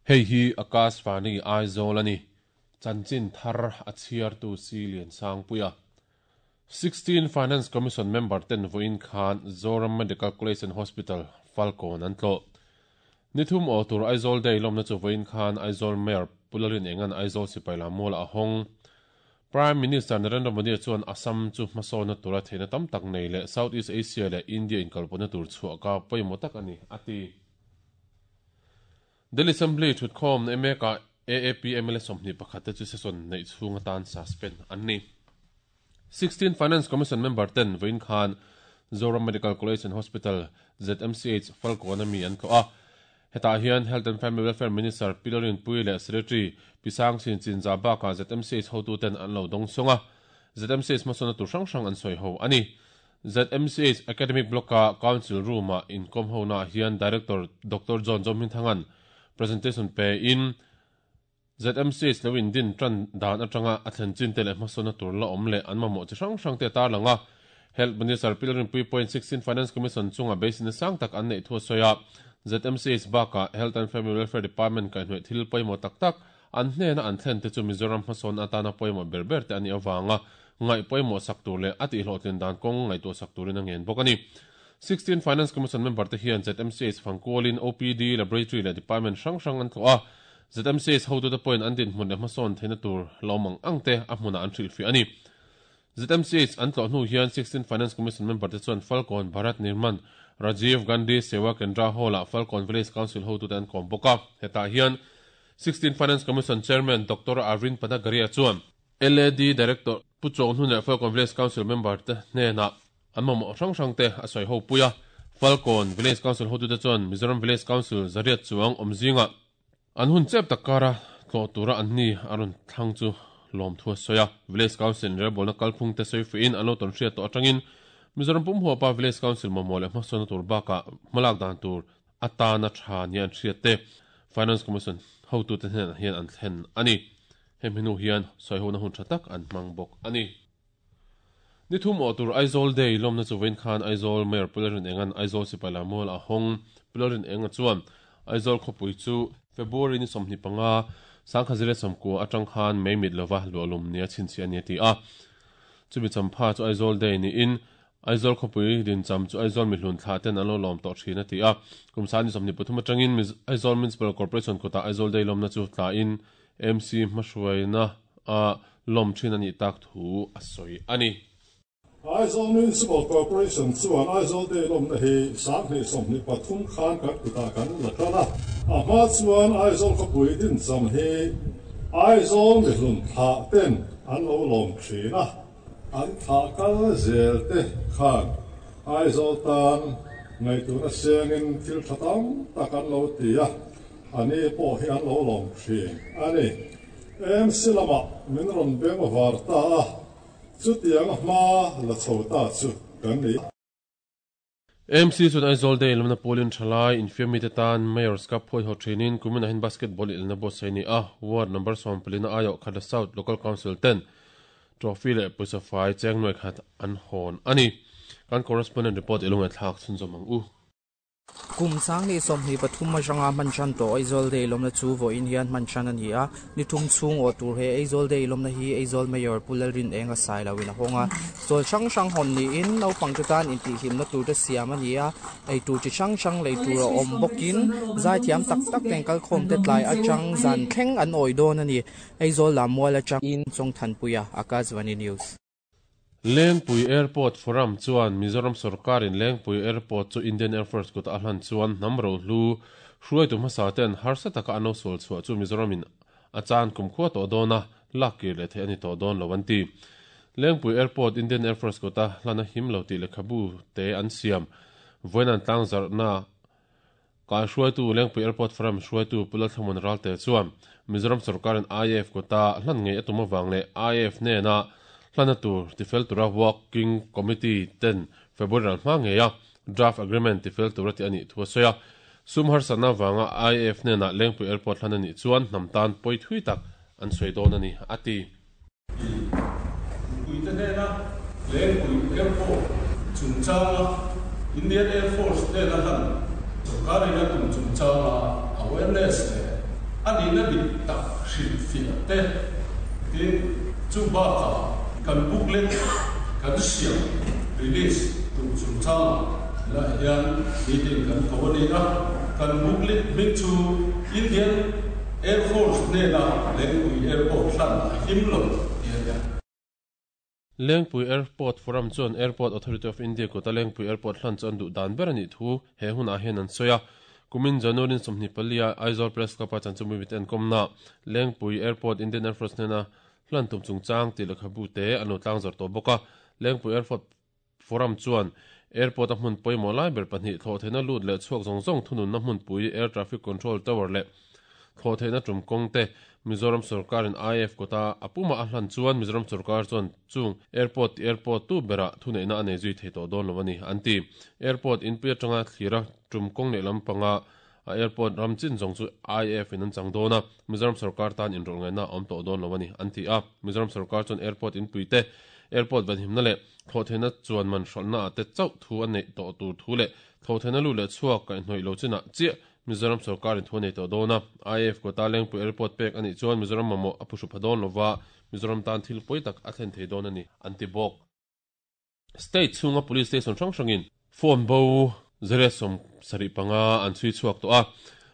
Hei hi Akashvani Aizawl a ni. Chanchin thar a chhiartu Si Liansangpuia. 16 Finance Commission member ten vawiin khan Zoram Medical College and Hospital, Falkawn an tlawh. Ni thum aw tur Aizawl Day lawmna chu vawiin khan Aizawl Mayor Pu Lalrin Engan Aizawl Sipai Lammualah a hawng. Prime Minister Narendra Modi chuan Assam chu hmasawnna tura theihna tam tak nei leh South East Asia leh India inkalpawhna tur chhuah ka pawimawh tak a ni, a ti. Delhi Assembly thutkhawm mek-ah AAP mla 21 te chu session neih chhung atan suspend an ni. 16 Finance Commission member ten vawiin khan Zoram Medical College and Hospital, ZMCH, Falkawn-a mi an tlawh a. Hetah hian Health and Family Welfare Minister Pi Lalrinpuii leh Secretary Pi Sangchin Chinzah bakah ZMCH hotuten an lo dawng sawng a. ZMCH hmasawnna tur hrang hrang an sawi ho a ni. ZMCH Academic Block-a Council Room-ah inkawm honaah hian Director Doctor John Zohminthanga'n presentation pein ZMCH lo indin tan dan atanga a thlen chin te leh hmasawnna tur la awm leh an mamawh chi hrang hrang te a tarlang a. Health Minister Pi Lalrinpuii pawhin 16 Finance Commission chunga beiseina sang tak an neih thu a sawi a. ZMCH bakah Health and Family Welfare Department kaihhnawih thil pawimawh tak tak an hnena an thlen te chu Mizoram hmasawn atana pawimawh ber ber te a nih avanga ngaih pawimawh sak tur leh a tihhlawhtlin dan kawng ngaihtuah sak turin a ngen bawk a ni. 16 Finance Commission member te hian ZMCH fangkualin OPD, Laboratory leh Department hrang hrang an tlawh a. ZMCH hotute pawhin an dinhmun leh hmasawn theihna tur lawm ang ang te a hmunah an hrilhfiah a ni. ZMCH an tlawh hnu hian 16 Finance Commission member te chuan Falkawn Bharat Nirman Rajiv Gandhi Sewa Kendra Hall-ah Falkawn Village Council hotute an kawm bawk a. Hetah hian 16 Finance Commission Chairman Doctor Arvind Panagariya chuan LAD Director Pu Chawnghnu leh Falkawn Village Council member te hnenah an mamawh hrang hrang te a sawi ho pui a. Falkawn Village Council hotute chuan Mizoram Village Council zariat chuang awm zingah An hun chep tak kara tlawh tura an ni a rawn thlang chu lawmthu a sawi a. Village Council inrelbawlna kalphung te sawi fuihin an lo tawn hriat tawh atangin Mizoram pum huapa Village Council mamawh leh hmasawnna tur bakah hmalak dan tur atana tha nia an hriat te Finance Commission hotute hnenah hian an thlen a ni. Hemi hnu hian sawihona hun tha tak an hmang bawk a ni. Ni thum awh tur Aizawl Day lawmna chu vawiin khan Aizawl Mayor Pu Lalrinenga'n Aizawl Sipai Lammual a hawng. Pu Lalrinenga chuan Aizawl khawpui chu February ni 25, 1990 atang khan mei mit lova luahlum nia chhinchhiah a ni a ti a. Chumi champha chu Aizawl Day niin Aizawl khawpui dincham chu Aizawl mihlun thlah ten an lo lawm tawh thin a ti a. Kum sang ni 23 atangin Aizawl Municipal Corporation kutah Aizawl Day lawmna chu tlain MC hmahruaina a lawm thin a nih tak thu a sawi a ni. Aizawl Municipal Corporation chuan Aizawl Day lawmna hi 2023 khan kan kutah kan la tan a. A hma chuan Aizawl khawpui dincham hi Aizawl mihlun thlah ten an lo lawm thin a. An thlah kal zel te khan Aizawl tan ngaihtuahna siangin thil tha tam tak an lo ti a, a ni pawh hi an lo lawm thin a ni. MC lamah min rawn beng var ta a, chutiang a hma la chho ta chu kan ni. MC chuan Aizawl Day lamna pawlin thalai infiammi te tan Mayor's Cup phuaihaw thinin kumin ah hian basketball ilna buatsaih a ni a, Ward number 14 a aiawh Khatla South Local Council ten trophy leh pawisa fai cheng nuai khat an hawn a ni. Kan correspondent report i lo ngaihthlak chhunzawm ang u. Kum 2023 atanga hman tan tawh Aizawl Day lawmna chu vawiin hian hman tan a ni a. Ni thum chhung awh tur he Aizawl Day lawmna hi Aizawl Mayor Pu Lalrinenga Sailoin a hawng a. Chawl hrang hrang hawn niin naupangte tan intihhlimna tur te siam a ni a. Ei tur chi hrang hrang lei tur a awm bawkin zaithiam tak tak ten kalkhawm te tlai atang zan thleng an awi dawn a ni. Aizawl Lammual atangin Chawngthanpuia, Akashvani News. Lengpui Airport Forum chuan Mizoram sorkarin Lengpui Airport chu Indian Air Force kutah a hlan chuan hnam rohlu hruaitu hmasa ten harsa taka an lo sual chhuah chu Mizoramin a chan kumkhua tawh dawn a, lak kir leh theih a ni tawh dawn lo an ti. Lengpui Airport Indian Air Force kuta hlan a him lo tih lehkhabu te an siam vawiin an tlangzarhna Kai hruaitu Lengpui Airport Forum hruaitu Pu Lalthlamuan Ralte chuan Mizoram sorkarin IAF kuta hlan ngei a tum avang leh IAF hnena hlana tur tifel tura Working Committee ten February ral hma ngeia Draft Agreement tifel tura tih a nih thu a sawi a. Sum harsatna avanga IAF hnena Lengpui Airport hlan a nih chuan hnam tan pawi thui tak an sawi dawn a ni, a ti. Mipuite hnena Lengpui Airport chungchanga Indian Air Force hnena hlan sorkarin a tum chungchanga awareness leh A nihna dik tak hrilhfiah te, tin, chu bakah kan booklet kan siam, release, tur chungchangah helaiah hian meeting kan ko a ni a. Kan booklet hming chu Indian Air Force hnena Lengpui Airport hlan a him lo tih a ni a. Lengpui Airport Forum chuan Airport Authority of India kuta Lengpui Airport hlan chu an duh dan ber a nih thu he hunah hian an sawi a. Kumin January 24 a Aizawl Press Club-a chanchinbu mite an kawmna Lengpui Airport Indian Air Force hnena hlan tum chungchang tih lehkhabu te an lo tlangzawrh tawh bawk a. Lengpui Airport Forum chuan Airport-a hmun pawimawh lai ber pahnih thlawhtheihna lut leh chhuak zawng zawng thununna hmunpui Air Traffic Control Tower leh thlawhtheihna tum kawng te Mizoram sorkarin IAF kawta a pumah a hlan chuan Mizoram sorkar chuan chung airport ti airport tu berah thuneihna a nei zui thei tawh dawn lo a ni, an ti. Airport inpui atanga thlira tum kawng leh lampanga a airport ram chin zawng chu IAF in an chang dawn a, Mizoram sorkar tan inrawlh ngaihna a awm tawh dawn lo a ni, an ti a. Mizoram sorkar chuan airport inpui te, airport venhimna leh thlawhtheihna chuan man hrawlhna ah te chauh thu a neih tawh tur thu leh thlawhtheihna lut leh chhuak kaihhnawih lo chinah chiah Mizoram sorkarin thu a nei tawh dawn a. IAF quota Lengpui airport pek a nih chuan Mizoram mamawh a phuhru pha dawn lova, Mizoram tan thil pawi tak a thlen thei dawn a ni, an ti bawk. State chhunga police station hrang hrangin phone bo 175 an chhui chhuak tawh a,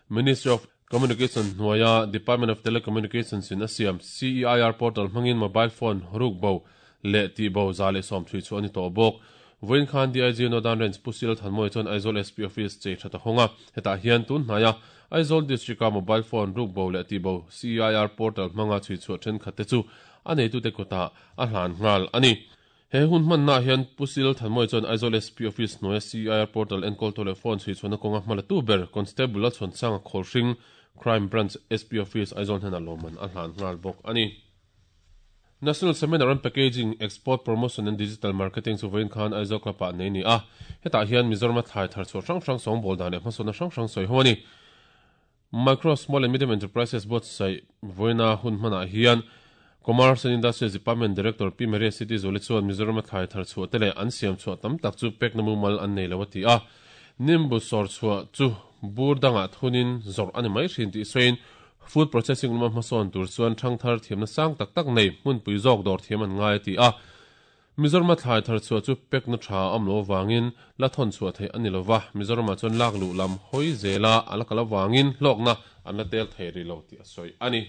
Ministry of Communication hnuaia Department of Telecommunications in a siam CEIR portal hmangin mobile phone ruk bo leh tih bo 110 chhui chhuah a ni tawh bawk. Vawiin khan DIG Northern Range Pu Sil Thanmawia chuan Aizawl SP Office chei that a hawng a, hetah hian tun hnaia Aizawl District-a mobile phone ruk bo leh tih bo CEIR portal hmanga chhui chhuah thenkhat te chu a neitute kutah a hlan nghal a ni. He hun hmannaah hian Pu Sil Thanmawia chuan Aizawl SP Office hnuaia CEIR portal enkawltu leh phone chhui chhuahna kawnga hmalatu ber Constable Lalchhuansanga Khawlhring, Crime Branch SP Office Aizawl hnenah lawmman a hlan nghal bawk a ni. National Seminar on Packaging, Export Promotion and Digital Marketing chu vawiin khan Aizawl Club-ah nei a ni a. Hetah hian Mizorama thlai thar chhuah hrang hrang sawngbawl dan leh hmasawnna hrang hrang sawi ho a ni. Micro, Small and Medium Enterprises buatsaih vawiina hun hmanah hian Commerce and Industries Department Director Pi Maria City Zuali chuan Mizorama thlai thar chhuah te leh an siam chhuah tam tak chu pekna mumal an nei lo a ti a. Nimbu sawr chhuah chu bur dangah thunin zawrh a ni mai thin tih sawiin Food processing lama hmasawn tur chuan thangthar thiamna sang tak tak nei hmunpui zawk dawr thiam an ngai a ti a. Mizorama thlai thar chhuah chu pekna tha a awm lo avangin la thawn chhuah theih a ni lo va, Mizoramah chuan lak luh lam hawi zela a la kal avangin hlawkna an la tel thei rih lo tih a sawi a ni.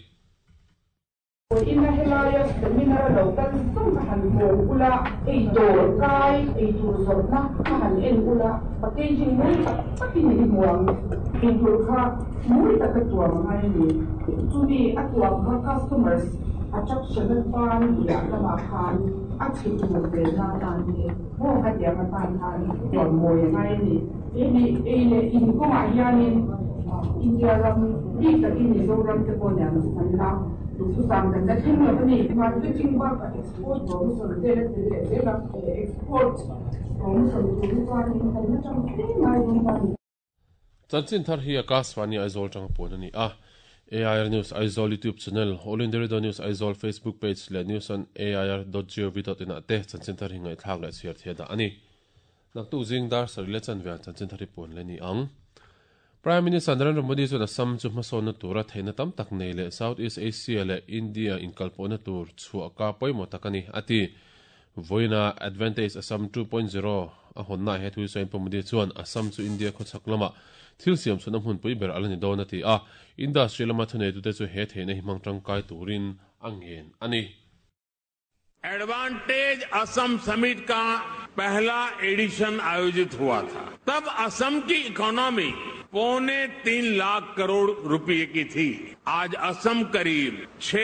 Ina helaia seminar a lo kal zawng ka han hawng ula, ei dawr kai, ei tur zawrhna ka han en ula, packaging mawi tak takin i hmu ang. Ei tur kha mawi taka tuam a ngai a ni. Chumi a tuam kha customers attraction atan liah lamah khan a chhe tur ve na atan te maw khatiang atan khan tuam mawi a ngai a ni. Hemi ei leh in kawngah hianin India ram bik takin Mizoram te pawh nen an la duhthusam kan la thleng lo a ni. Marketing bakah export promotion vel a tel leh zel a, export promotion tur hi chuanin kan la tang hle ngai dawn ta a ni. Chanchin thar hi Akashvani Aizawl tanga puan a ni a. AIR News Aizawl YouTube channel, All India Radio News Aizawl Facebook page leh news on air dot gov dot in ah te chanchin thar hi ngaihthlak leh chhiar thei a dah a ni. Naktuk zing dar sarih leh chanve ah chanchin thar hi puan leh a ni ang. Prime Minister Narendra Modi chuan Assam chu hmasawnna tura theihna tam tak nei leh South East Asia leh India inkalpawhna tur chhuah ka pawimawh tak a ni, a ti. Vawiina Advantage Assam 2.0 a hawnnaah he thu sawiin Pu Modi chuan Assam chu India khawchhak lama thil siam chhunna hmunpui ber a la ni dawn a ti a, industry lama thuneitute chu he theihna hi hmang tangkai turin a ngen a ni. Advantage Assam summit का पहला एडिशन आयोजित हुआ था तब असम की इकोनॉमी 2.75 लाख करोड़ रुपए की थी आज असम करीब 6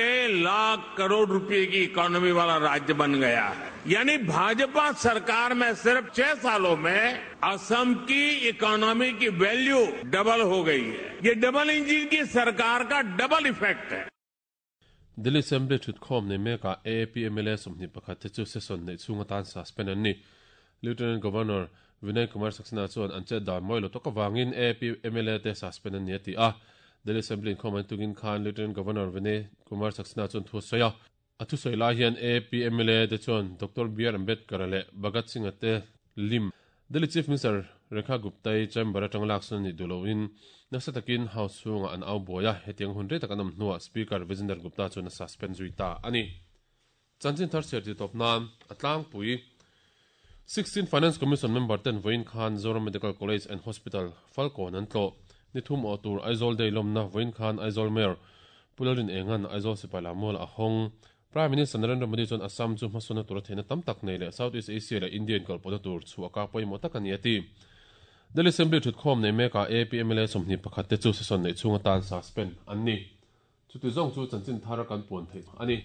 लाख करोड़ रुपए की इकोनॉमी वाला राज्य बन गया है यानी भाजपा सरकार में सिर्फ 6 सालों में असम की इकोनॉमी की वैल्यू डबल हो गई है ये डबल इंजन की सरकार का डबल इफेक्ट है Delhi Assembly thutkhawm nei mekah AAP mla 21 te chu session neih chhung atan suspend an ni. Lieutenant Governor Vinay Kumar Saxena chuan an chet dan mawi lo tawk avangin AAP mla te suspend an ni a ti a. Delhi Assembly inkhawm an tungin khan Lieutenant Governor Vinay Kumar Saxena chuan thu a sawi a. A thusawi lai hian AAP mla te chuan Doctor BR Ambedkar leh Bhagat Singh-a te lim Delhi Chief Minister Rekha Gupta-i chamber atang laksan ni duloin nasa takin house chhunga an au buai a, hetiang hun rei tak an awm hnuah Speaker Vijender Gupta chuan a suspend zui ta a ni. Chanchin thar chhiar ti tawp nan a tlangpui 16 Finance Commission member ten vawiin khan Zoram Medical College and Hospital Falkawn an tlawh. Ni thum awh tur Aizawl Day lawmna vawiin khan Aizawl Mayor Pu Lalrin Engan Aizawl Sipai Lammual a hawng. Prime Minister Narendra Modi chuan Assam chu hmasawnna tura theihna tam tak nei leh South East Asia leh India inkalpawhna tur chhuah ka pawimawh tak a ni a ti. Delhi Assembly thutkhawm nei mekah AP mla 21 te chu session neih chhung atan suspend an ni. Chuti zawng chu chanchin thar kan puan theih a ni.